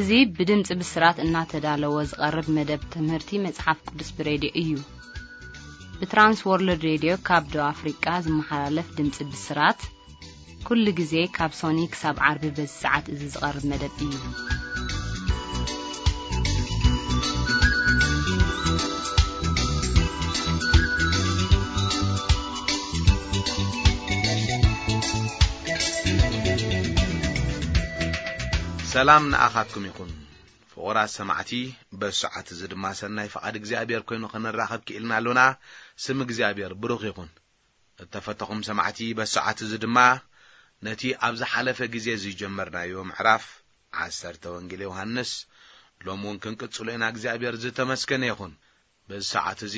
እዚ ብድምጺ ብስራት እናተዳለወ ዝቐርብ መደብ ትምህርቲ መጽሓፍ ቅዱስ ብሬድዮ እዩ። ብትራንስ ወርልድ ሬድዮ ካብ ደቡብ ኣፍሪቃ ዝመሓላለፍ ድምጺ ብስራት፣ ኩሉ ግዜ ካብ ሶኒ ክሳብ ዓርቢ በዚ ሰዓት እዚ ዝቐርብ መደብ እዩ። ሰላም ንኣኻትኩም ይኹን። ፍቑራት ሰማዕቲ፣ በዚ ሰዓት እዚ ድማ ሰናይ ፍቓድ እግዚኣብሔር ኮይኑ ክንራኸብ ክኢልና ኣሎና። ስም እግዚኣብሔር ብሩኽ ይኹን። እተፈተኹም ሰማዕቲ፣ በዚ ሰዓት እዚ ድማ ነቲ ኣብ ዝሓለፈ ግዜ ዝጀመርናዮ ምዕራፍ ዓሰርተ ወንጌል ዮሃንስ ሎሚ እውን ክንቅጽሎ ኢና። እግዚኣብሔር ዝተመስገነ ይኹን። በዚ ሰዓት እዚ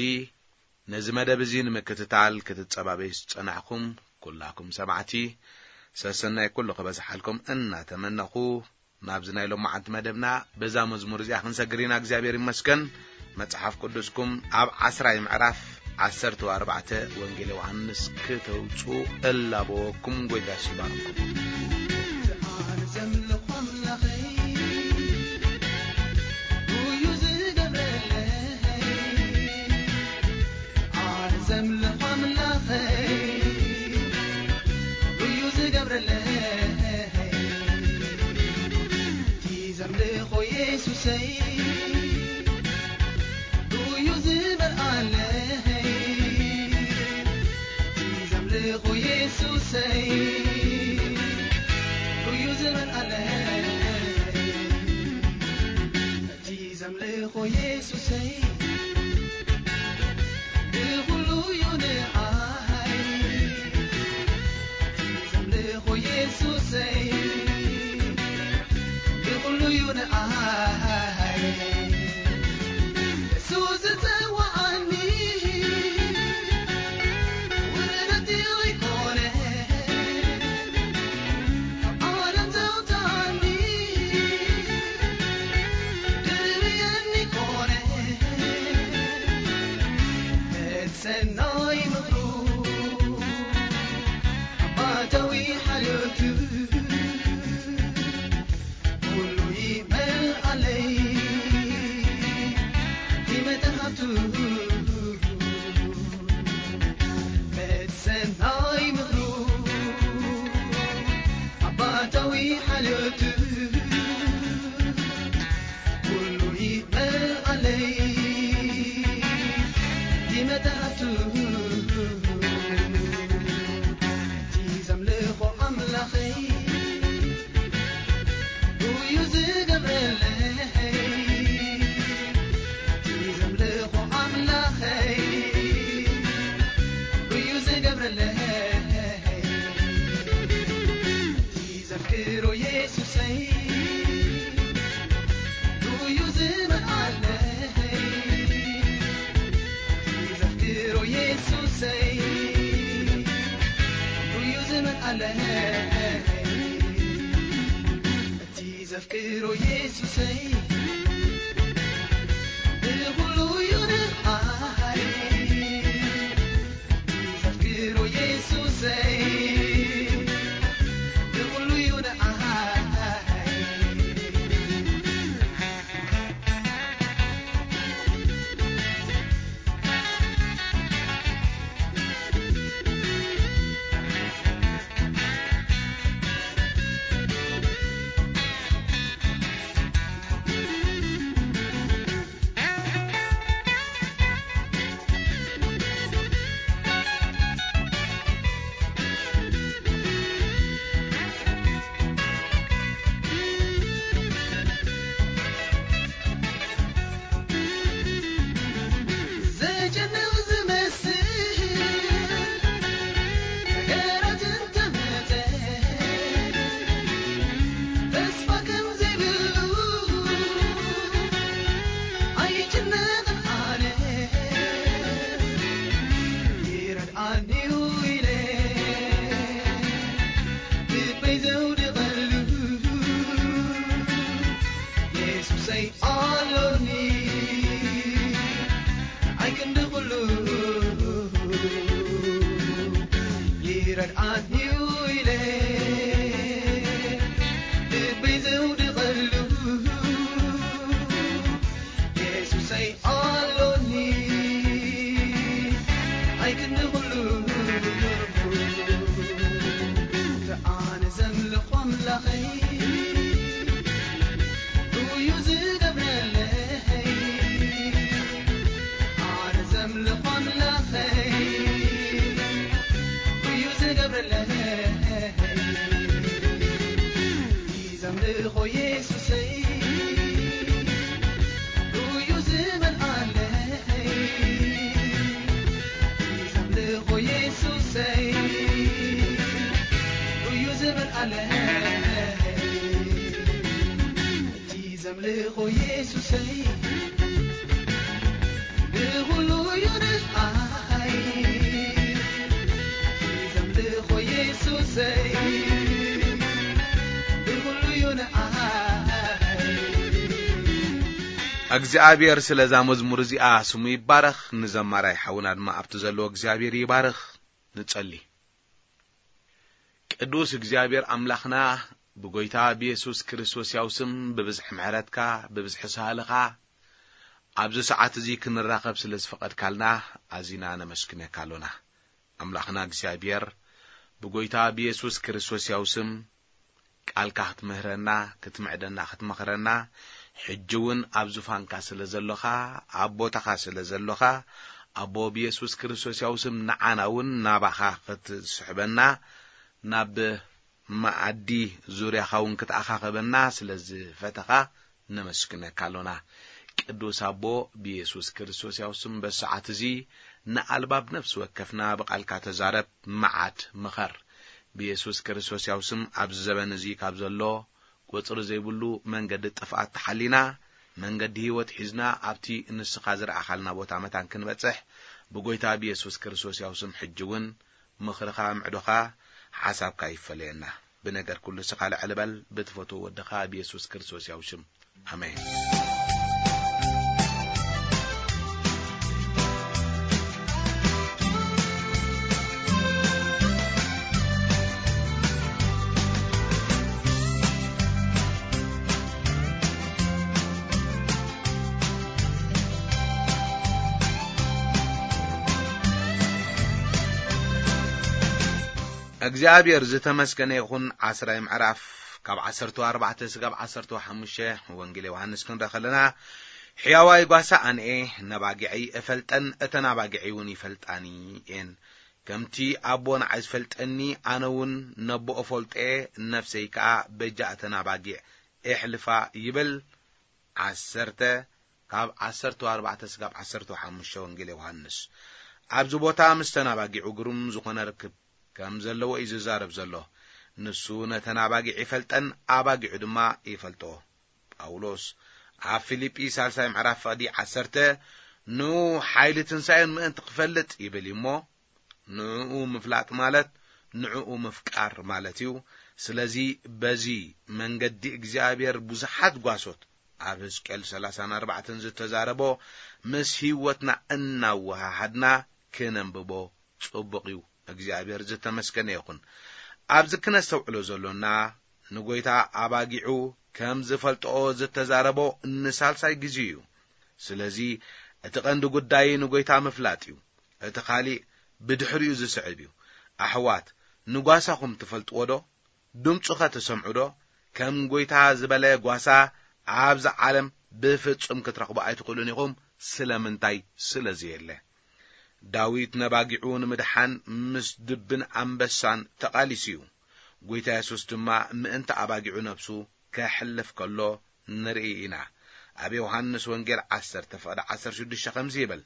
ነዚ መደብ እዚ ንምክትታል ክትጸባበዩ ዝጸናሕኩም ኩላኩም ሰማዕቲ፣ ሰሰናይ ኩሉ ክበዝሓልኩም እናተመነኹ፣ ናብዚ ናይ ሎማዓንቲ መደብና በዛ መዝሙር እዚኣ ክንሰግር ኢና። እግዚኣብሔር ይመስገን። መጽሓፍ ቅዱስኩም ኣብ ዓስራይ ምዕራፍ ዓሰርተ ኣርባዕተ ወንጌል ዮሃንስ ክተውጽኡ እላበወኩም። ጎይታ ይባርኩም። ኣነ ዘምልኾ ኣምላኸይ፣ እዩ ዝገብረለይ። ኣነ ዘምልኾ ኣምላኸይ፣ እዩ ዝገብረለይ። እቲ ዘምልኾ የሱሰይ፣ እዩ ዝመልኣለይ። እቲ ዘምልኾ የሱሰይ፣ እዩ ዝመልኣለይ። እቲ ዘምልኾ የሱሰይ፣ ብኹሉ እዩ ንዓይ። እቲ ዘምልኾ የሱሰይ፣ ብኹሉ እዩ ንዓይ። እሱ ዝጸውዓኒ፣ ውርደት ኣይኮነ። ዘምልኾ የሱሰይ ርኡዩ ዝመልኣለይ፣ ዘምልኾ የሱሰይ ርኡዩ ዝመልኣለይ፣ እቲ ዘምልኾ የሱሰይ ብኹሉ እዩ ንዓይ፣ ዘምልኾ የሱሰይ ብኹሉ እዩ ንዓይ። እግዚኣብሔር ስለዛ መዝሙር እዚኣ ስሙ ይባረኽ። ንዘማራይ ሓውና ድማ ኣብቲ ዘለዎ እግዚኣብሔር ይባርኽ። ንጸሊ። ቅዱስ እግዚኣብሔር ኣምላኽና፣ ብጎይታ ብየሱስ ክርስቶስ ያው ስም ብብዝሒ ምሕረትካ፣ ብብዝሒ ሳህልኻ ኣብዚ ሰዓት እዚ ክንራኸብ ስለ ዝፈቐድካልና ኣዚና ነመስግነካ ኣሎና። ኣምላኽና እግዚኣብሔር፣ ብጎይታ ብየሱስ ክርስቶስ ያው ስም ቃልካ ክትምህረና፣ ክትምዕደና፣ ክትመኽረና፣ ሕጂ እውን ኣብ ዙፋንካ ስለ ዘሎኻ፣ ኣብ ቦታኻ ስለ ዘሎኻ፣ ኣቦ ብየሱስ ክርስቶስ ያው ስም ንዓና እውን ናባኻ ክትስሕበና፣ ናብ መኣዲ ዙርያኻ እውን ክትኣኻኸበና ስለ ዝፈተኻ ነመስግነካ ኣሎና። ቅዱስ ኣቦ፣ ብየሱስ ክርስቶስ ያው ስም በሰዓት እዚ ንኣልባብ ነፍሲ ወከፍና ብቓልካ ተዛረብ፣ መዓት ምኸር። ብየሱስ ክርስቶስ ያው ስም ኣብዚ ዘበን እዚ ካብ ዘሎ ቁጽሪ ዘይብሉ መንገዲ ጥፍኣት ተሓሊና፣ መንገዲ ህይወት ሒዝና ኣብቲ ንስኻ ዝረኣኻልና ቦታ መታን ክንበጽሕ ብጎይታ ብየሱስ ክርስቶስ ያው ስም ሕጂ እውን ምኽርኻ፣ ምዕዶኻ፣ ሓሳብካ ይፈለየና። ብነገር ኩሉ ስኻ ልዕል በል፣ ብትፈትዎ ወድኻ ብየሱስ ክርስቶስ ያው ሽም። ኣሜን። እግዚኣብሔር ዝተመስገነ ይኹን። ዓስራይ ምዕራፍ ካብ ዓሰርተ ኣርባዕተ ስጋብ ዓሰርተ ሓሙሽተ ወንጌል ዮሃንስ ክንርኢ ከለና፣ ሕያዋይ ጓሳ ኣነ እየ፣ ነባጊዐይ እፈልጠን፣ እተን ኣባጊዐይ እውን ይፈልጣኒ እየን። ከምቲ ኣቦ ንዓይ ዝፈልጠኒ፣ ኣነ እውን ነቦ እፈልጦ እየ፣ ነፍሰይ ከኣ በጃ እተን ኣባጊዕ እሕልፋ ይብል። ዓሰርተ ካብ ዓሰርተ ኣርባዕተ ስጋብ ዓሰርተ ሓሙሽተ ወንጌል ዮሃንስ። ኣብዚ ቦታ ምስ ተን ኣባጊዑ ግሩም ዝኾነ ርክብ ከም ዘለዎ እዩ ዝዛረብ ዘሎ። ንሱ ነተን ኣባጊዕ ይፈልጠን፣ ኣባጊዑ ድማ ይፈልጥኦ። ጳውሎስ ኣብ ፊልጲ ሳልሳይ ምዕራፍ ፍቕዲ ዓሰርተ፣ "ንኡ ሓይሊ ትንሳኤን ምእንቲ ክፈልጥ" ይብል እዩ እሞ፣ ንዕኡ ምፍላጥ ማለት ንዕኡ ምፍቃር ማለት እዩ። ስለዚ በዚ መንገዲ እግዚኣብሔር ብዙሓት ጓሶት ኣብ ሕዝቅኤል ሰላሳን ኣርባዕተን ዝተዛረቦ ምስ ህይወትና እናወሃሃድና ክነንብቦ ጽቡቕ እዩ። እግዚኣብሔር ዝተመስገነ ይኹን። ኣብዚ ክነስተውዕሎ ዘሎና ንጎይታ ኣባጊዑ ከም ዝፈልጥኦ ዝተዛረቦ ንሳልሳይ ግዜ እዩ። ስለዚ እቲ ቀንዲ ጉዳይ ንጎይታ ምፍላጥ እዩ። እቲ ካሊእ ብድሕሪኡ ዝስዕብ እዩ። ኣሕዋት፣ ንጓሳኹም ትፈልጥዎ ዶ? ድምፁኸ ትሰምዑ ዶ? ከም ጎይታ ዝበለ ጓሳ ኣብዚ ዓለም ብፍጹም ክትረኽቡ ኣይትኽእሉን ኢኹም። ስለምንታይ? ስለ ዘየለ። ዳዊት ነባጊዑ ንምድሓን ምስ ድብን ኣንበሳን ተቓሊሱ እዩ። ጎይታ የሱስ ድማ ምእንቲ ኣባጊዑ ነብሱ ከሕልፍ ከሎ ንርኢ ኢና። ኣብ ዮሃንስ ወንጌል ዓሰርተ ፍቕዲ ዓሰርተ ሽዱሽተ ከምዚ ይብል፣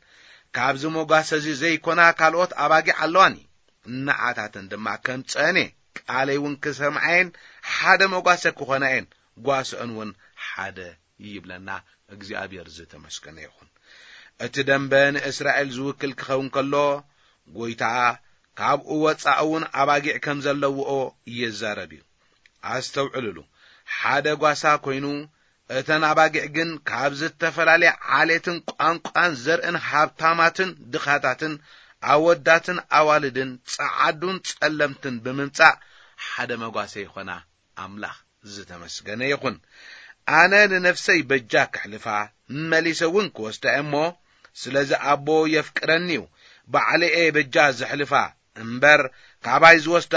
"ካብዚ መጓሰ እዚ ዘይኮና ካልኦት ኣባጊዕ ኣለዋኒ፣ ንዓታተን ድማ ከምጽአን እየ፣ ቃለይ እውን ክሰምዓየን ሓደ መጓሰ ክኾናየን፣ ጓስአን እውን ሓደ" ይብለና። እግዚኣብሔር ዝተመስገነ ይኹን። እቲ ደንበ ንእስራኤል ዝውክል ክኸውን ከሎ፣ ጎይታ ካብኡ ወጻኢ እውን ኣባጊዕ ከም ዘለውኦ ይዛረብ እዩ። ኣስተውዕልሉ፣ ሓደ ጓሳ ኮይኑ፣ እተን ኣባጊዕ ግን ካብ ዝተፈላለየ ዓሌትን ቋንቋን ዘርእን ሃብታማትን ድኻታትን ኣወዳትን ኣዋልድን ጸዓዱን ጸለምትን ብምምጻእ ሓደ መጓሰ ይኾና። ኣምላኽ ዝተመስገነ ይኹን። ኣነ ንነፍሰይ በጃ ክሕልፋ፣ መሊሰ እውን ክወስዳ እየ እሞ፣ ስለዚ ኣቦ የፍቅረኒ እዩ። ባዕለየ በጃ ዘሕልፋ እምበር፣ ካባይ ዝወስዳ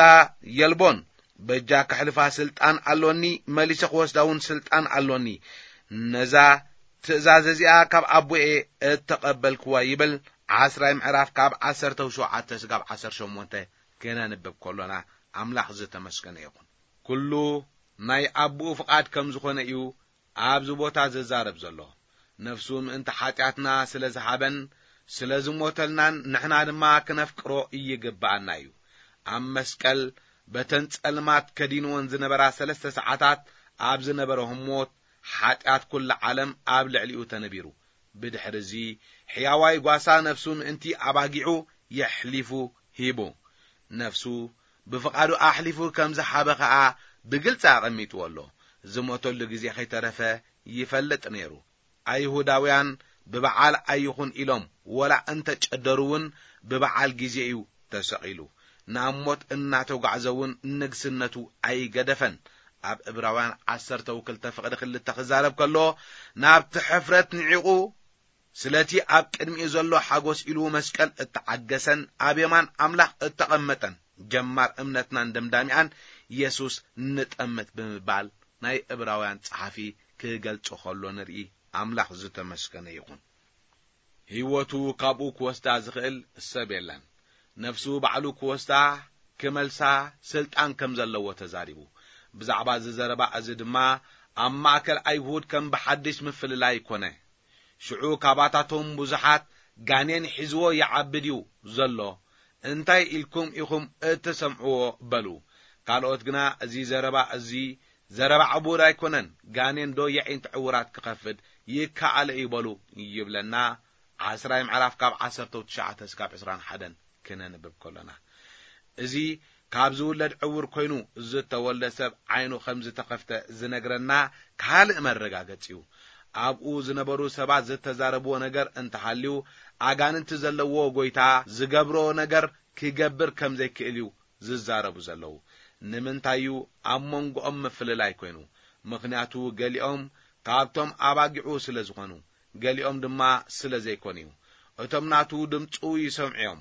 የልቦን። በጃ ክሕልፋ ስልጣን ኣሎኒ፣ መሊሰ ክወስዳ እውን ስልጣን ኣሎኒ። ነዛ ትእዛዝ እዚኣ ካብ ኣቦየ እተቐበልክዋ ይብል። ዓስራይ ምዕራፍ ካብ ዓሰርተ ሸውዓተ ስጋብ ዓሰርተ ሸሞንተ ክነንብብ ከሎና ኣምላኽ ዝተመስገነ ይኹን። ኩሉ ናይ ኣቦኡ ፍቓድ ከም ዝኾነ እዩ ኣብዚ ቦታ ዝዛረብ ዘሎ። ነፍሱ ምእንቲ ሓጢኣትና ስለ ዝሃበን ስለ ዝሞተልናን ንሕና ድማ ክነፍቅሮ ይግብኣና እዩ። ኣብ መስቀል በተን ጸልማት ከዲንወን ዝነበራ ሰለስተ ሰዓታት ኣብ ዝነበረ ህሞት ሓጢኣት ኩላ ዓለም ኣብ ልዕሊኡ ተነቢሩ። ብድሕርዚ ሕያዋይ ጓሳ ነፍሱ ምእንቲ ኣባጊዑ የሕሊፉ ሂቡ። ነፍሱ ብፍቓዱ ኣሕሊፉ ከም ዝሃበ ኸኣ ብግልጺ ኣቐሚጥዎ ኣሎ። ዝሞተሉ ግዜ ኸይተረፈ ይፈልጥ ነይሩ። ኣይሁዳውያን ብበዓል ኣይኹን ኢሎም ወላ እንተ ጨደሩ እውን ብበዓል ግዜ እዩ ተሰቒሉ። ናብ ሞት እናተጓዕዘ እውን ንግስነቱ ኣይገደፈን። ኣብ ዕብራውያን ዓሰርተ ወክልተ ፍቕዲ ክልተ ክዛረብ ከሎ ናብቲ ሕፍረት ንዒቑ ስለቲ ኣብ ቅድሚኡ ዘሎ ሓጎስ ኢሉ መስቀል እተዓገሰን ኣብ የማን ኣምላኽ እተቐመጠን ጀማር እምነትናን ደምዳሚኣን የሱስ ንጠምት ብምባል ናይ ዕብራውያን ጸሓፊ ክገልጾ ከሎ ንርኢ። ኣምላኽ ዝተመስገነ ይኹን። ህይወቱ ካብኡ ክወስዳ ዝኽእል ሰብ የለን። ነፍሱ ባዕሉ ክወስዳ ክመልሳ ስልጣን ከም ዘለዎ ተዛሪቡ። ብዛዕባ እዚ ዘረባ እዚ ድማ ኣብ ማእከል ኣይሁድ ከም ብሓድሽ ምፍልላይ ኮነ። ሽዑ ካባታቶም ብዙሓት ጋኔን ሒዝዎ ይዓብድ እዩ ዘሎ፣ እንታይ ኢልኩም ኢኹም እትሰምዕዎ በሉ። ካልኦት ግና እዚ ዘረባ እዚ ዘረባ ዕቡድ ኣይኮነን፣ ጋኔን ዶ የዒንት ዕውራት ክኸፍት ይከኣለ እዩ በሉ ይብለና። ዓስራይ ምዕራፍ ካብ ዓሰርተ ትሽዓተ እስካብ ዕስራን ሓደን ክነንብብ ከሎና፣ እዚ ካብ ዝውለድ ዕውር ኮይኑ ዝተወልደ ሰብ ዓይኑ ከም ዝተኸፍተ ዝነግረና ካልእ መረጋገጺ እዩ። ኣብኡ ዝነበሩ ሰባት ዝተዛረብዎ ነገር እንተሃልዩ፣ ኣጋንንቲ ዘለዎ ጎይታ ዝገብሮ ነገር ክገብር ከም ዘይክእል እዩ ዝዛረቡ ዘለዉ። ንምንታይ እዩ ኣብ መንጎኦም ምፍልላይ ኮይኑ? ምኽንያቱ ገሊኦም ካብቶም ኣባጊዑ ስለ ዝኾኑ፣ ገሊኦም ድማ ስለ ዘይኮኑ እዩ። እቶም ናቱ ድምፁ ይሰምዑ እዮም፣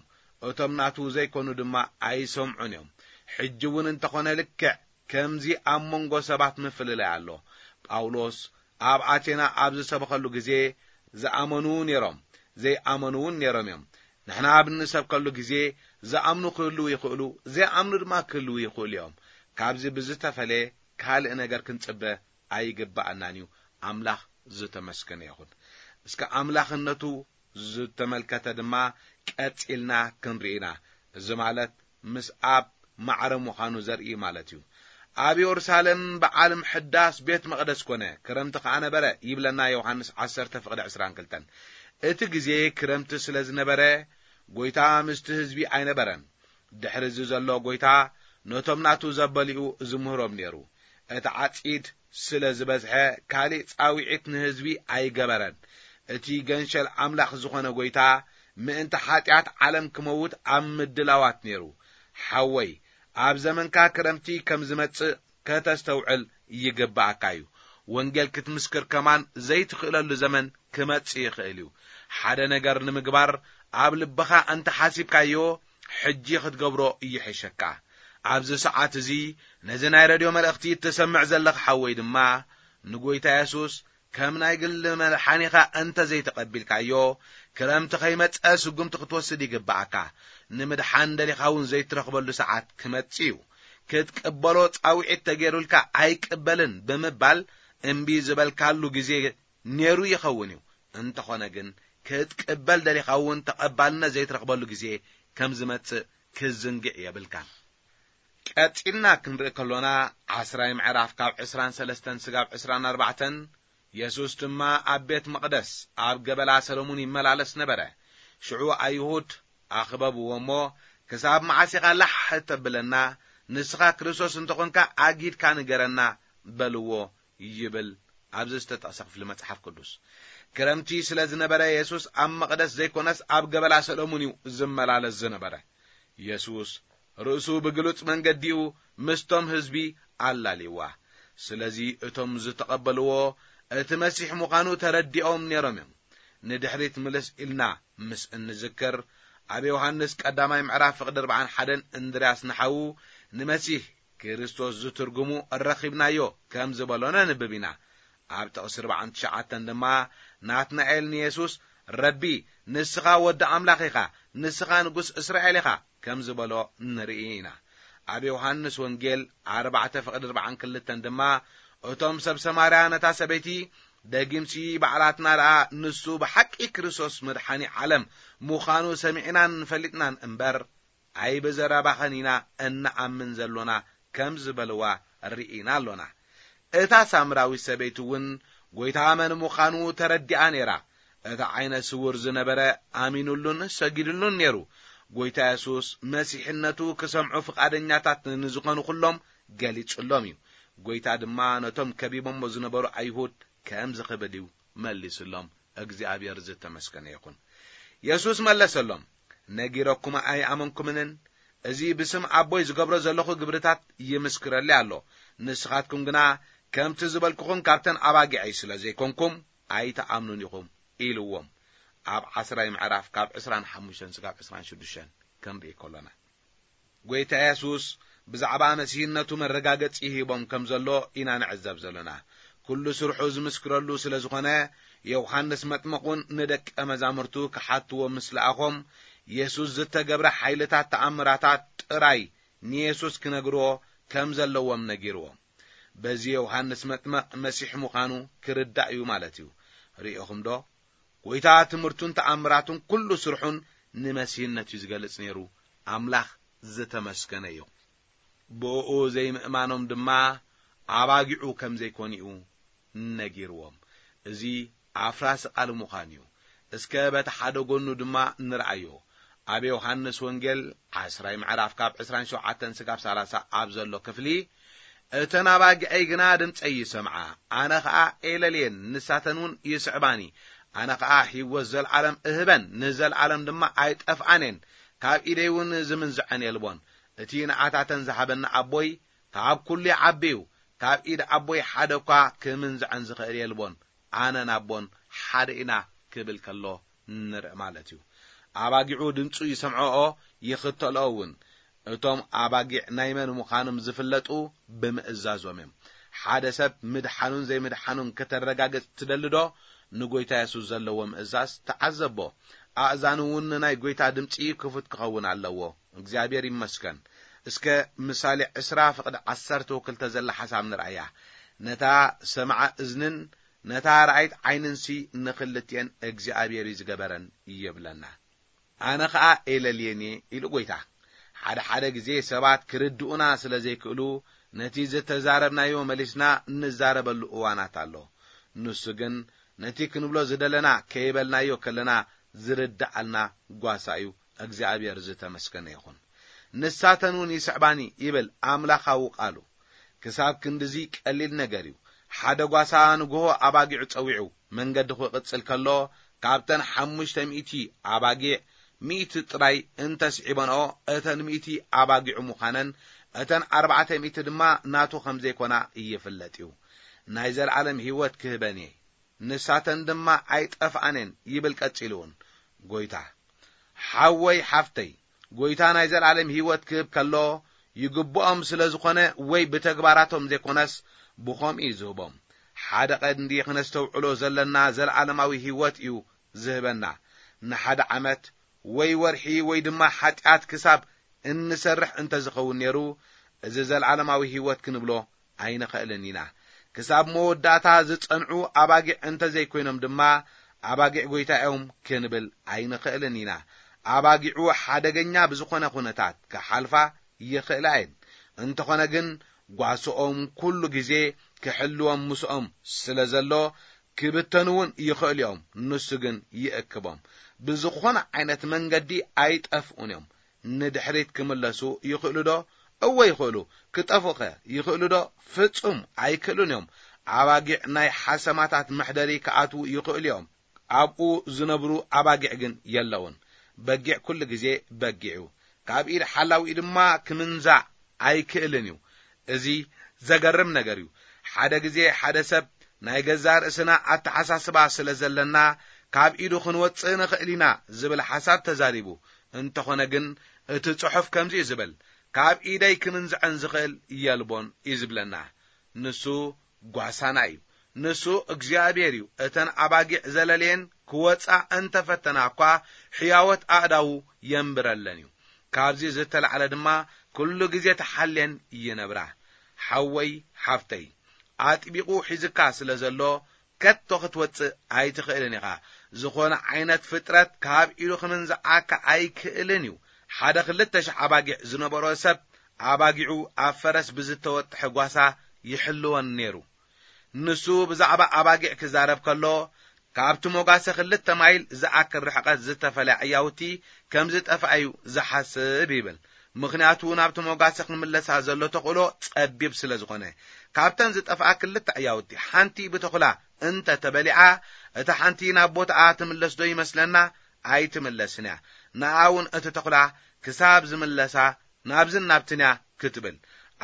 እቶም ናቱ ዘይኮኑ ድማ ኣይሰምዑን እዮም። ሕጂ እውን እንተኾነ ልክዕ ከምዚ ኣብ መንጎ ሰባት ምፍልላይ ኣሎ። ጳውሎስ ኣብ ኣቴና ኣብ ዝሰበኸሉ ግዜ ዝኣመኑ ነይሮም፣ ዘይኣመኑ እውን ነይሮም እዮም። ንሕና ኣብ እንሰብከሉ ግዜ ዝኣምኑ ክህልዉ ይኽእሉ፣ ዘይኣምኑ ድማ ክህልዉ ይኽእሉ እዮም። ካብዚ ብዝተፈለየ ካልእ ነገር ክንጽበ ኣይግብኣናን እዩ። ኣምላኽ ዝተመስገነ ይኹን። እስከ ኣምላኽነቱ ዝተመልከተ ድማ ቀጺልና ክንርኢ ኢና። እዚ ማለት ምስ ኣብ ማዕረ ምዃኑ ዘርኢ ማለት እዩ። ኣብ የሩሳሌም በዓል ምሕዳስ ቤት መቕደስ ኮነ። ክረምቲ ከኣ ነበረ ይብለና ዮሃንስ ዓሰርተ ፍቕዲ ዕስራን ክልተን። እቲ ግዜ ክረምቲ ስለ ዝነበረ፣ ጐይታ ምስቲ ህዝቢ ኣይነበረን። ድሕሪ እዚ ዘሎ ጐይታ ነቶም ናቱ ዘበሊኡ ዝምህሮም ነይሩ። እቲ ዓጺድ ስለ ዝበዝሐ፣ ካልእ ጻውዒት ንህዝቢ ኣይገበረን። እቲ ገንሸል ኣምላኽ ዝኾነ ጐይታ ምእንቲ ሓጢኣት ዓለም ክመውት ኣብ ምድላዋት ነይሩ። ሓወይ፣ ኣብ ዘመንካ ክረምቲ ከም ዝመጽእ ከተስተውዕል ይግብኣካ እዩ። ወንጌል ክትምስክር ከማን ዘይትኽእለሉ ዘመን ክመጽእ ይኽእል እዩ። ሓደ ነገር ንምግባር ኣብ ልብኻ እንተ ሓሲብካዮ፣ ሕጂ ክትገብሮ ይሕሸካ። ኣብዚ ሰዓት እዚ ነዚ ናይ ረድዮ መልእኽቲ እትሰምዕ ዘለኻ ሓወይ ድማ፣ ንጐይታ የሱስ ከም ናይ ግሊ መድሓኒኻ እንተ ዘይተቐቢልካዮ፣ ክረምቲ ከይመጸ ስጉምቲ ክትወስድ ይግብኣካ። ንምድሓን ደሊኻ እውን ዘይትረኽበሉ ሰዓት ክመጽእ እዩ። ክትቅበሎ ጻውዒት ተገይሩልካ ኣይቅበልን ብምባል እምቢ ዝበልካሉ ግዜ ነይሩ ይኸውን እዩ። እንተኾነ ግን፣ ክትቅበል ደሊኻ እውን ተቐባልነት ዘይትረኽበሉ ግዜ ከም ዝመጽእ ክዝንግዕ የብልካን። ቀጺልና ክንርኢ ከሎና፣ ዓስራይ ምዕራፍ ካብ ዕስራን ሰለስተን ስጋብ ዕስራን ኣርባዕተን፣ የሱስ ድማ ኣብ ቤት መቕደስ ኣብ ገበላ ሰሎሙን ይመላለስ ነበረ። ሽዑ ኣይሁድ ኣኽበብዎ እሞ፣ "ክሳብ መዓስ ኢኻ ላሕ እተብለና? ንስኻ ክርስቶስ እንተኾንካ ኣጊድካ ንገረና" በልዎ ይብል ኣብዚ ዝተጠቕሰ ክፍሊ መጽሓፍ ቅዱስ። ክረምቲ ስለ ዝነበረ፣ የሱስ ኣብ መቕደስ ዘይኮነስ ኣብ ገበላ ሰሎሙን እዩ ዝመላለስ ዝነበረ። የሱስ ርእሱ ብግሉጽ መንገዲኡ ምስቶም ህዝቢ ኣላልይዋ። ስለዚ እቶም ዝተቐበልዎ እቲ መሲሕ ምዃኑ ተረዲኦም ነይሮም እዮም። ንድሕሪት ምልስ ኢልና ምስ እንዝክር፣ ኣብ ዮሃንስ ቀዳማይ ምዕራፍ ፍቕዲ ኣርባዓን ሓደን እንድርያስ ንሓዉ ንመሲህ ክርስቶስ ዝትርጉሙ ረኺብናዮ ከም ዝበሎ ነንብብ ኢና። ኣብ ጥቕሲ ኣርባዓን ትሽዓተን ድማ ናትናኤል ንየሱስ፣ "ረቢ፣ ንስኻ ወዲ ኣምላኽ ኢኻ፣ ንስኻ ንጉስ እስራኤል ኢኻ" ከም ዝበሎ ንርኢ ኢና። ኣብ ዮሃንስ ወንጌል ኣርባዕተ ፍቕዲ ኣርባዓን ክልተን ድማ፣ እቶም ሰብ ሰማርያ ነታ ሰበይቲ፣ ደጊምሲ ባዕላትና ደኣ ንሱ ብሓቂ ክርስቶስ መድሓኒ ዓለም ምዃኑ ሰሚዕናን ፈሊጥናን እምበር፣ ኣይብዘረባኸን ኢና እንኣምን ዘሎና ከም ዝበልዋ ርኢና ኣሎና። እታ ሳምራዊት ሰበይቲ እውን ጐይታ መን ምዃኑ ተረዲኣ ነይራ። እቲ ዓይነ ስውር ዝነበረ ኣሚኑሉን ሰጊድሉን ነይሩ። ጐይታ የሱስ መሲሕነቱ ክሰምዑ ፍቓደኛታት ንዝኾኑ ኩሎም ገሊጹሎም እዩ። ጐይታ ድማ ነቶም ከቢቦሞ ዝነበሩ ኣይሁድ ከም ዝኽብድ እዩ መሊሱሎም። እግዚኣብሔር ዝተመስገነ ይኹን። የሱስ መለሰሎም፣ ነጊረኩም ኣይኣመንኩምንን? እዚ ብስም ኣቦይ ዝገብሮ ዘለኹ ግብርታት ይምስክረለይ ኣሎ። ንስኻትኩም ግና ከምቲ ዝበልኩኹም ካብተን ኣባጊዐይ ስለ ዘይኮንኩም ኣይትኣምኑን ኢኹም ኢልዎም። ኣብ ዓስራይ ምዕራፍ ካብ ዕስራን ሓሙሽተን ስጋብ ዕስራን ሽዱሽተን ክንርኢ ከሎና፣ ጐይታ የሱስ ብዛዕባ መሲህነቱ መረጋገጺ ሂቦም ከም ዘሎ ኢና ንዕዘብ ዘለና። ኩሉ ስርሑ ዝምስክረሉ ስለ ዝኾነ፣ ዮሃንስ መጥምቕ እውን ንደቀ መዛሙርቱ ክሓትዎ ምስ ለኣኾም፣ የሱስ ዝተገብረ ሓይልታት ተኣምራታት ጥራይ ንየሱስ ክነግርዎ ከም ዘለዎም ነጊርዎም። በዚ ዮሃንስ መጥምቕ መሲሕ ምዃኑ ክርዳእ እዩ ማለት እዩ። ርኢኹም ዶ? ጐይታ ትምህርቱን ተኣምራቱን ኩሉ ስርሑን ንመሲህነት እዩ ዝገልጽ ነይሩ። ኣምላኽ ዝተመስገነ እዩ። ብእኡ ዘይምእማኖም ድማ ኣባጊዑ ከም ዘይኮኑ እዩ ነጊርዎም። እዚ ኣፍራሲ ቃል ምዃን እዩ። እስከ በቲ ሓደ ጎኑ ድማ ንርኣዮ። ኣብ ዮሃንስ ወንጌል ዓስራይ ምዕራፍ ካብ ዕስራን ሸውዓተን ስጋብ ሰላሳ ኣብ ዘሎ ክፍሊ፣ እተን ኣባጊዐይ ግና ድምፀይ ይሰምዓ፣ ኣነ ኸኣ ኤለልየን፣ ንሳተን እውን ይስዕባኒ። ኣነ ኸኣ ህይወት ዘለዓለም እህበን፣ ንዘለዓለም ድማ ኣይጠፍኣን እየን፣ ካብ ኢደይ እውን ዝምንዝዐን የልቦን። እቲ ንዓታተን ዝሃበኒ ኣቦይ ካብ ኩሉ ይዓቢ እዩ፣ ካብ ኢድ ኣቦይ ሓደ እኳ ክምንዝዐን ዝኽእል የልቦን። ኣነን ኣቦን ሓደ ኢና ክብል ከሎ ንርኢ ማለት እዩ። ኣባጊዑ ድምፁ ይሰምዖኦ፣ ይኽተልኦ እውን። እቶም ኣባጊዕ ናይ መን ምዃኖም ዝፍለጡ ብምእዛዞም እዮም። ሓደ ሰብ ምድሓኑን ዘይምድሓኑን ከተረጋግጽ ትደሊ ዶ? ንጎይታ የሱስ ዘለዎ ምእዛዝ ተዓዘቦ። ኣእዛኑ እውን ንናይ ጎይታ ድምፂ ክፉት ክኸውን ኣለዎ። እግዚኣብሔር ይመስገን። እስከ ምሳሌ ዕስራ ፍቕዲ ዓሰርተ ክልተ ዘላ ሓሳብ ንርኣያ። ነታ ሰምዓ እዝንን ነታ ረኣይት ዓይንንሲ ንኽልቲኤን እግዚኣብሔር እዩ ዝገበረን ይብለና። ኣነ ኸኣ ኤለልየን እየ ኢሉ ጐይታ። ሓደ ሓደ ግዜ ሰባት ክርድኡና ስለ ዘይክእሉ፣ ነቲ ዝተዛረብናዮ መሊስና እንዛረበሉ እዋናት ኣሎ። ንሱ ግን ነቲ ክንብሎ ዝደለና ከይበልናዮ ከለና ዝርድኣልና ጓሳ እዩ። እግዚኣብሔር ዝተመስገነ ይኹን። ንሳተን እውን ይስዕባኒ ይብል ኣምላኻዊ ቃሉ። ክሳብ ክንድዚ ቀሊል ነገር እዩ። ሓደ ጓሳ ንግሆ ኣባጊዑ ጸዊዑ መንገዲ ክቕጽል ከሎ፣ ካብተን ሓሙሽተ ሚእቲ ኣባጊዕ፣ ሚእቲ ጥራይ እንተስዒበንኦ፣ እተን ሚእቲ ኣባጊዑ ምዃነን፣ እተን ኣርባዕተ ሚእቲ ድማ ናቱ ከም ዘይኮና ይፍለጥ እዩ። ናይ ዘለዓለም ህይወት ክህበን እየ፣ ንሳተን ድማ ኣይጠፍኣን እየን ይብል ቀጺሉ እውን ጐይታ። ሓወይ ሓፍተይ፣ ጐይታ ናይ ዘለዓለም ህይወት ክህብ ከሎ፣ ይግብኦም ስለ ዝኾነ ወይ ብተግባራቶም ዘይኮነስ ብኸምኡ እዩ ዝህቦም። ሓደ ቀንዲ ክነስተውዕሎ ዘለና ዘለዓለማዊ ህይወት እዩ ዝህበና። ንሓደ ዓመት ወይ ወርሒ ወይ ድማ ሓጢኣት ክሳብ እንሰርሕ እንተ ዝኸውን ነይሩ፣ እዚ ዘለዓለማዊ ህይወት ክንብሎ ኣይንኽእልን ኢና። ክሳብ መወዳእታ ዝጸንዑ ኣባጊዕ እንተ ዘይኮይኖም ድማ፣ ኣባጊዕ ጐይታ እዮም ክንብል ኣይንኽእልን ኢና። ኣባጊዑ ሓደገኛ ብዝኾነ ኹነታት ክሓልፋ ይኽእላ እየን። እንተኾነ ግን፣ ጓስኦም ኩሉ ግዜ ክሕልዎም ምስኦም ስለ ዘሎ፣ ክብተኑ እውን ይኽእሉ እዮም። ንሱ ግን ይእክቦም። ብዝኾነ ዓይነት መንገዲ ኣይጠፍኡን እዮም። ንድሕሪት ክምለሱ ይኽእሉ ዶ? እወ ይኽእሉ። ክጠፍኡኸ ይኽእሉ ዶ? ፍጹም ኣይክእሉን እዮም። ኣባጊዕ ናይ ሓሰማታት መሕደሪ ክኣትዉ ይኽእሉ እዮም። ኣብኡ ዝነብሩ ኣባጊዕ ግን የለውን። በጊዕ ኩሉ ግዜ በጊዕ እዩ። ካብ ኢድ ሓላዊኡ ድማ ክምንዛዕ ኣይክእልን እዩ። እዚ ዘገርም ነገር እዩ። ሓደ ግዜ ሓደ ሰብ ናይ ገዛእ ርእስና ኣተሓሳስባ ስለ ዘለና፣ ካብ ኢዱ ክንወጽእ ንኽእል ኢና ዝብል ሓሳብ ተዛሪቡ። እንተኾነ ግን፣ እቲ ጽሑፍ ከምዚ እዩ ዝብል፣ ካብ ኢደይ ክምንዝዐን ዝኽእል የልቦን እዩ ዝብለና። ንሱ ጓሳና እዩ። ንሱ እግዚኣብሔር እዩ። እተን ኣባጊዕ ዘለልየን ክወጻ እንተፈተና እኳ፣ ሕያወት ኣእዳዉ የንብረለን እዩ። ካብዚ ዝተላዕለ ድማ፣ ኩሉ ግዜ ተሓልየን ይነብራ። ሓወይ፣ ሓፍተይ፣ ኣጥቢቑ ሒዝካ ስለ ዘሎ፣ ከቶ ክትወጽእ ኣይትኽእልን ኢኻ። ዝኾነ ዓይነት ፍጥረት ካብ ኢዱ ክምንዝዓካ ኣይክእልን እዩ። ሓደ ክልተ ሽሕ ኣባጊዕ ዝነበሮ ሰብ፣ ኣባጊዑ ኣብ ፈረስ ብዝተወጥሐ ጓሳ ይሕልወን ነይሩ። ንሱ ብዛዕባ ኣባጊዕ ክዛረብ ከሎ፣ ካብቲ ሞጋሰ ክልተ ማይል ዝኣክል ርሕቀት ዝተፈልያ ዕያውቲ ከም ዝጠፍኣ እዩ ዝሓስብ ይብል። ምኽንያቱ ናብቲ ሞጋሰ ክምለሳ ዘሎ ተኽእሎ ጸቢብ ስለ ዝኾነ። ካብተን ዝጠፍኣ ክልተ ዕያውቲ ሓንቲ ብተኹላ እንተ ተበሊዓ፣ እታ ሓንቲ ናብ ቦታኣ ትምለስ ዶ ይመስለና? ኣይትምለስን እያ። ንኣ እውን እቲ ተኹላ ክሳብ ዝምለሳ ናብዝን ናብትን እያ ክትብል።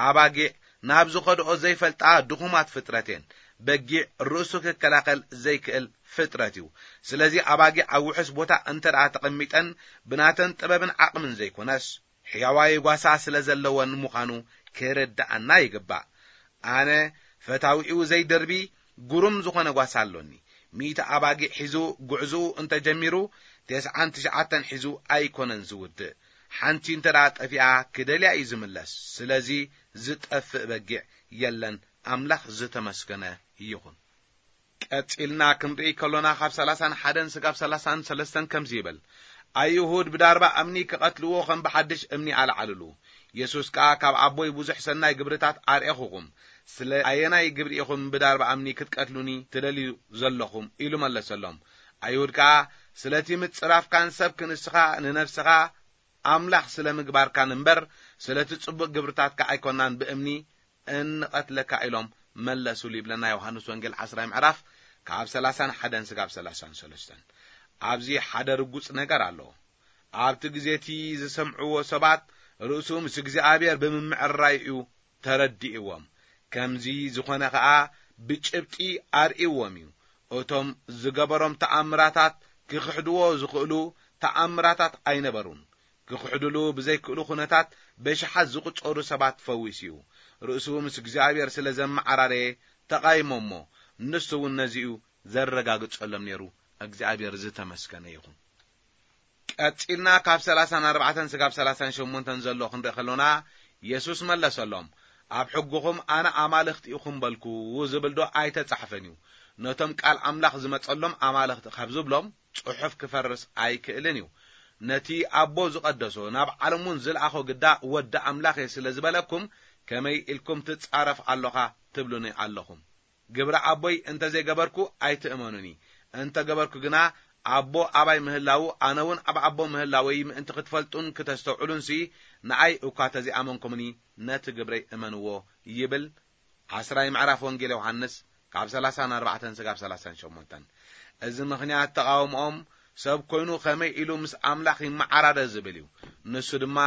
ኣባጊዕ ናብ ዝኸድኦ ዘይፈልጣ ድኹማት ፍጥረት እየን። በጊዕ ርእሱ ክከላኸል ዘይክእል ፍጥረት እዩ። ስለዚ ኣባጊዕ ኣብ ውሑስ ቦታ እንተ ደኣ ተቐሚጠን፣ ብናተን ጥበብን ዓቕምን ዘይኮነስ፣ ሕያዋይ ጓሳ ስለ ዘለወን ምዃኑ ክርድኣና ይግባእ። ኣነ ፈታዊኡ ዘይደርቢ ግሩም ዝኾነ ጓሳ ኣሎኒ። ሚእቲ ኣባጊዕ ሒዙ ጉዕዞኡ እንተ ጀሚሩ፣ ተስዓን ትሽዓተን ሒዙ ኣይኮነን ዝውድእ። ሓንቲ እንተ ደኣ ጠፊኣ፣ ክደልያ እዩ ዝምለስ። ስለዚ ዝጠፍእ በጊዕ የለን። ኣምላኽ ዝተመስገነ ይኹን። ቀጺልና ክንርኢ ከሎና፣ ካብ ሰላሳን ሓደን ስጋብ ሰላሳን ሰለስተን ከምዚ ይብል፣ ኣይሁድ ብዳርባ እምኒ ክቐትልዎ ከም ብሓድሽ እምኒ ኣልዓልሉ። የሱስ ከኣ፣ ካብ ኣቦይ ብዙሕ ሰናይ ግብርታት ኣርኤኹኹም፣ ስለ ኣየናይ ግብሪ ኢኹም ብዳርባ እምኒ ክትቀትሉኒ ትደልዩ ዘለኹም? ኢሉ መለሰሎም። ኣይሁድ ከኣ፣ ስለቲ ምጽራፍካን ሰብ ክንስኻ ንነፍስኻ ኣምላኽ ስለ ምግባርካን እምበር፣ ስለቲ ጽቡቕ ግብርታትካ ኣይኮናን ብእምኒ እንቐትለካ ኢሎም መለሱሉ ይብለና ዮሃንስ ወንጌል ዓስራይ ምዕራፍ ካብ ሰላሳን ሓደን ስጋብ ሰላሳን ሰለስተን። ኣብዚ ሓደ ርጉጽ ነገር ኣሎ። ኣብቲ ግዜ እቲ ዝሰምዕዎ ሰባት ርእሱ ምስ እግዚኣብሔር ብምምዕርራይ እዩ ተረዲእዎም። ከምዚ ዝኾነ ኸኣ ብጭብጢ ኣርእይዎም እዩ። እቶም ዝገበሮም ተኣምራታት ክኽሕድዎ ዝኽእሉ ተኣምራታት ኣይነበሩን። ክኽሕድሉ ብዘይክእሉ ኩነታት በሽሓት ዝቑጸሩ ሰባት ፈዊሱ እዩ። ርእሱ ምስ እግዚኣብሔር ስለ ዘመዓራረየ ተቓይሞ እሞ፣ ንሱ እውን ነዚኡ ዘረጋግጸሎም ነይሩ። እግዚኣብሔር ዝተመስገነ ይኹን። ቀጺልና ካብ ሰላሳን ኣርባዕተን ስጋብ ሰላሳን ሸሞንተን ዘሎ ክንርኢ ከሎና፣ የሱስ መለሰሎም፣ ኣብ ሕግኹም ኣነ ኣማልኽቲ ኢኹም በልኩ ዝብል ዶ ኣይተጻሕፈን እዩ? ነቶም ቃል ኣምላኽ ዝመጸሎም ኣማልኽቲ ካብ ዝብሎም ጽሑፍ ክፈርስ ኣይክእልን እዩ። ነቲ ኣቦ ዝቐደሶ ናብ ዓለም እውን ዝለኣኾ ግዳ ወዲ ኣምላኽ እየ ስለ ዝበለኩም፣ ከመይ ኢልኩም ትጻረፍ ኣሎኻ ትብሉኒ ኣለኹም? ግብሪ ኣቦይ እንተ ዘይገበርኩ ኣይትእመኑኒ። እንተ ገበርኩ ግና ኣቦ ኣባይ ምህላዉ፣ ኣነ እውን ኣብ ኣቦ ምህላወይ ምእንቲ ክትፈልጡን ክተስተውዕሉንሲ፣ ንኣይ እኳ ተዘይኣመንኩምኒ፣ ነቲ ግብረይ እመንዎ ይብል። ዓስራይ ምዕራፍ ወንጌል ዮሃንስ ካብ ሰላሳን ኣርባዕተን ስጋብ ሰላሳን ሸሞንተን። እዚ ምኽንያት ተቓውሞኦም ሰብ ኮይኑ ከመይ ኢሉ ምስ ኣምላኽ ይመዓራረ ዝብል እዩ። ንሱ ድማ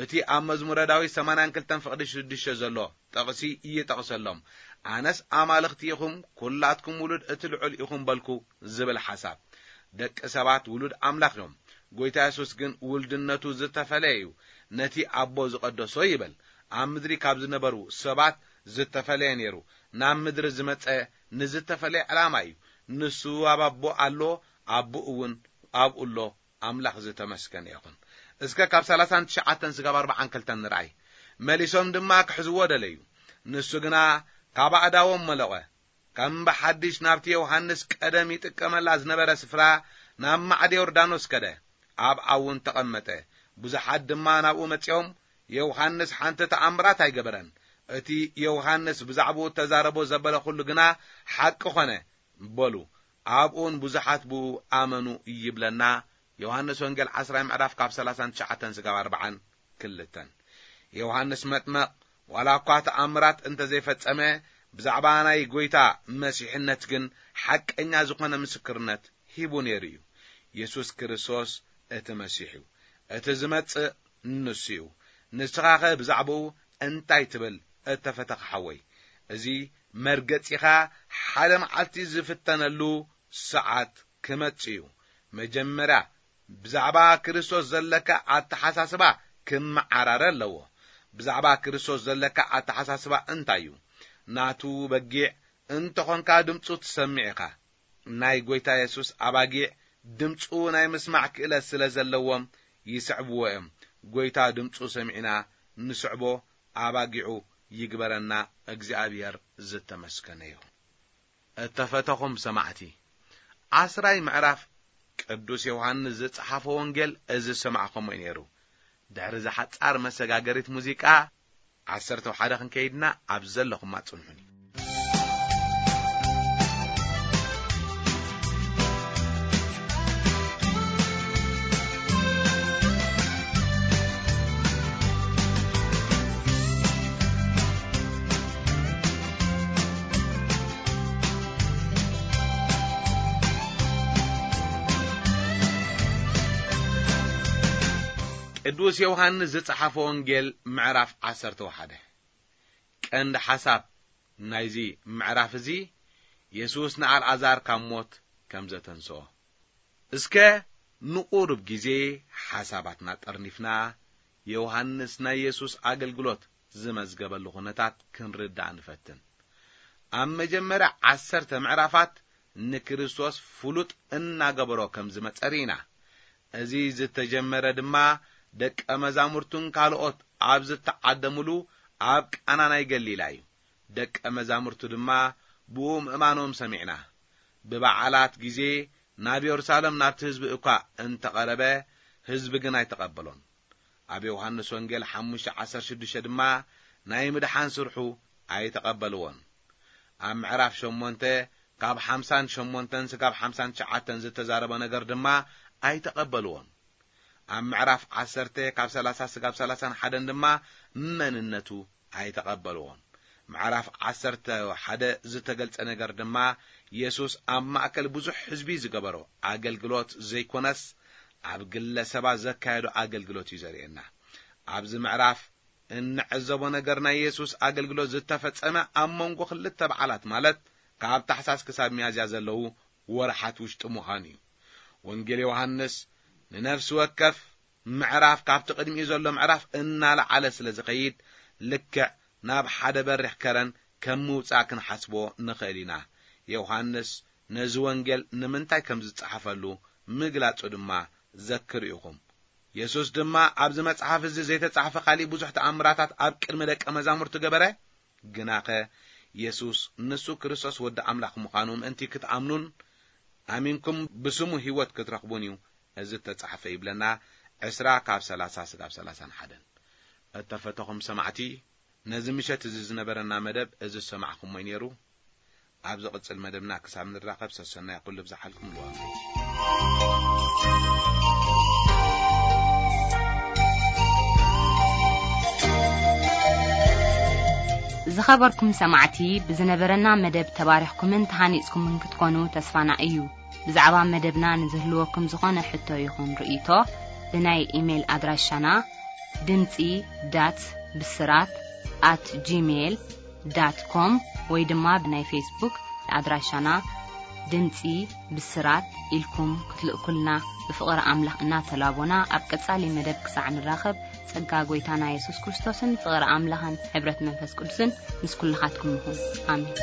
እቲ ኣብ መዝሙረ ዳዊት ሰማንያን ክልተን ፍቕዲ ሽዱሽተ ዘሎ ጥቕሲ ይጠቕሰሎም። ኣነስ ኣማልኽቲ ኢኹም፣ ኩላትኩም ውሉድ እቲ ልዑል ኢኹም በልኩ ዝብል ሓሳብ። ደቂ ሰባት ውሉድ ኣምላኽ እዮም። ጎይታ የሱስ ግን ውልድነቱ ዝተፈለየ እዩ። ነቲ ኣቦ ዝቐደሶ ይበል። ኣብ ምድሪ ካብ ዝነበሩ ሰባት ዝተፈለየ ነይሩ። ናብ ምድሪ ዝመጸ ንዝተፈለየ ዕላማ እዩ። ንሱ ኣብ ኣቦ ኣሎ፣ ኣቦኡ እውን ኣብኡ ኣሎ። ኣምላኽ ዝተመስገነ ይኹን። እስከ ካብ ሰላሳን ትሽዓተን ስጋብ ኣርባዓን ክልተን ንርኣይ። መሊሶም ድማ ክሕዝዎ ደለዩ። ንሱ ግና ካብ ኣእዳዎም መለቐ። ከም ብሓድሽ ናብቲ ዮሃንስ ቀደም ይጥቀመላ ዝነበረ ስፍራ፣ ናብ ማዕደ ዮርዳኖስ ከደ። ኣብኣ እውን ተቐመጠ። ብዙሓት ድማ ናብኡ መጺኦም፣ ዮሃንስ ሓንቲ ተኣምራት ኣይገበረን። እቲ ዮሃንስ ብዛዕባኡ እተዛረቦ ዘበለ ኹሉ ግና ሓቂ ኾነ በሉ። ኣብኡን ብዙሓት ብኡ ኣመኑ ይብለና። ዮሃንስ ወንጌል ዓስራይ ምዕራፍ ካብ ሰላሳን ትሽዓተን ስጋብ ኣርባዓን ክልተን። ዮሃንስ መጥመቕ ዋላ እኳ ተኣምራት እንተ ዘይፈጸመ፣ ብዛዕባ ናይ ጐይታ መሲሕነት ግን ሓቀኛ ዝኾነ ምስክርነት ሂቡ ነይሩ እዩ። የሱስ ክርስቶስ እቲ መሲሕ እዩ። እቲ ዝመጽእ ንሱ እዩ። ንስኻኸ ብዛዕባኡ እንታይ ትብል እተፈተኻ ሓወይ? እዚ መርገጺኻ ሓደ መዓልቲ ዝፍተነሉ ሰዓት ክመጽእ እዩ። መጀመርያ ብዛዕባ ክርስቶስ ዘለካ ኣተሓሳስባ ክመዓራረ ኣለዎ። ብዛዕባ ክርስቶስ ዘለካ ኣተሓሳስባ እንታይ እዩ? ናቱ በጊዕ እንተኾንካ ድምፁ ትሰምዕ ኢኻ። ናይ ጐይታ የሱስ ኣባጊዕ ድምፁ ናይ ምስማዕ ክእለት ስለ ዘለዎም ይስዕብዎ እዮም። ጐይታ ድምፁ ሰሚዕና ንስዕቦ ኣባጊዑ ይግበረና። እግዚኣብሔር ዝተመስገነ ይኹን። እተፈተኹም ሰማዕቲ፣ ዓስራይ ምዕራፍ ቅዱስ ዮሃንስ ዝጸሓፎ ወንጌል እዚ ዝሰማዕኹሞ እዩ ነይሩ። ድሕሪ እዛ ሓጻር መሰጋገሪት ሙዚቃ፣ ዓሰርተ ሓደ ክንከይድና ኣብ ዘለኹማ ጽንሑኒ። ቅዱስ ዮሃንስ ዝጸሓፎ ወንጌል ምዕራፍ ዓሰርተ ሓደ። ቀንዲ ሓሳብ ናይዚ ምዕራፍ እዚ፣ የሱስ ንኣልዓዛር ካብ ሞት ከም ዘተንስኦ። እስከ ንቑሩብ ግዜ ሓሳባትና ጠርኒፍና፣ ዮሃንስ ናይ የሱስ ኣገልግሎት ዝመዝገበሉ ኩነታት ክንርዳእ ንፈትን። ኣብ መጀመርያ ዓሰርተ ምዕራፋት ንክርስቶስ ፍሉጥ እናገበሮ ከም ዝመጸ ርኢና። እዚ ዝተጀመረ ድማ ደቀ መዛሙርቱን ካልኦት ኣብ ዝተዓደሙሉ ኣብ ቃና ናይ ገሊላ እዩ። ደቀ መዛሙርቱ ድማ ብኡ ምእማኖም ሰሚዕና። ብበዓላት ግዜ ናብ የሩሳሌም ናብቲ ህዝቢ እኳ እንተቐረበ፣ ህዝቢ ግን ኣይተቐበሎን። ኣብ ዮሃንስ ወንጌል ሓሙሽተ ዓሰርተ ሽዱሽተ ድማ ናይ ምድሓን ስርሑ ኣይተቐበልዎን። ኣብ ምዕራፍ ሸሞንተ ካብ ሓምሳን ሸሞንተን ስጋብ ሓምሳን ትሽዓተን ዝተዛረቦ ነገር ድማ ኣይተቐበልዎን። ኣብ ምዕራፍ ዓሰርተ ካብ ሰላሳ ስጋብ ሰላሳን ሓደን ድማ መንነቱ ኣይተቐበልዎን። ምዕራፍ ዓሰርተ ሓደ ዝተገልጸ ነገር ድማ የሱስ ኣብ ማእከል ብዙሕ ህዝቢ ዝገበሮ ኣገልግሎት ዘይኮነስ፣ ኣብ ግለሰባት ዘካየዶ ኣገልግሎት እዩ ዘርእየና። ኣብዚ ምዕራፍ እንዕዘቦ ነገር ናይ የሱስ ኣገልግሎት ዝተፈጸመ ኣብ መንጎ ክልተ በዓላት፣ ማለት ካብ ታሕሳስ ክሳብ ሚያዝያ ዘለዉ ወርሓት ውሽጢ ምዃኑ እዩ። ወንጌል ዮሃንስ ንነፍሲ ወከፍ ምዕራፍ ካብቲ ቅድሚኡ ዘሎ ምዕራፍ እናለዓለ ስለ ዝኸይድ፣ ልክዕ ናብ ሓደ በሪኽ ከረን ከም ምውጻእ ክንሓስቦ ንኽእል ኢና። ዮሃንስ ነዚ ወንጌል ንምንታይ ከም ዝጸሓፈሉ ምግላጹ ድማ ዘክሩ ኢኹም። የሱስ ድማ ኣብዚ መጽሓፍ እዚ ዘይተጻሕፈ ካሊእ ብዙሕ ተኣምራታት ኣብ ቅድሚ ደቀ መዛሙርቱ ገበረ። ግናኸ የሱስ ንሱ ክርስቶስ ወዲ ኣምላኽ ምዃኑ ምእንቲ ክትኣምኑን ኣሚንኩም ብስሙ ህይወት ክትረኽቡን እዩ እዚ እተጻሕፈ ይብለና። ዕስራ ካብ ሰላሳ ስጋብ ሰላሳን ሓደን። እተፈተኹም ሰማዕቲ፣ ነዚ ምሸት እዚ ዝነበረና መደብ እዚ ዝሰማዕኹሞ እዩ ነይሩ። ኣብ ዝቕጽል መደብና ክሳብ ንራኸብ ሰሰናይ ኩሉ ብዝሓልኩም ልዋም። ዝኸበርኩም ሰማዕቲ፣ ብዝነበረና መደብ ተባሪኽኩምን ተሃኒጽኩምን ክትኮኑ ተስፋና እዩ። ብዛዕባ መደብና ንዝህልወኩም ዝኾነ ሕቶ ይኹን ርእይቶ፣ ብናይ ኢሜይል ኣድራሻና ድምጺ ዳት ብስራት ኣት ጂሜይል ዳት ኮም ወይ ድማ ብናይ ፌስቡክ ኣድራሻና ድምጺ ብስራት ኢልኩም ክትልእኩልና ብፍቕሪ ኣምላኽ እናተላቦና፣ ኣብ ቀጻሊ መደብ ክሳዕ ንራኸብ፣ ጸጋ ጐይታና የሱስ ክርስቶስን ፍቕሪ ኣምላኽን ሕብረት መንፈስ ቅዱስን ምስ ኩልኻትኩም ይኹን። ኣሜን።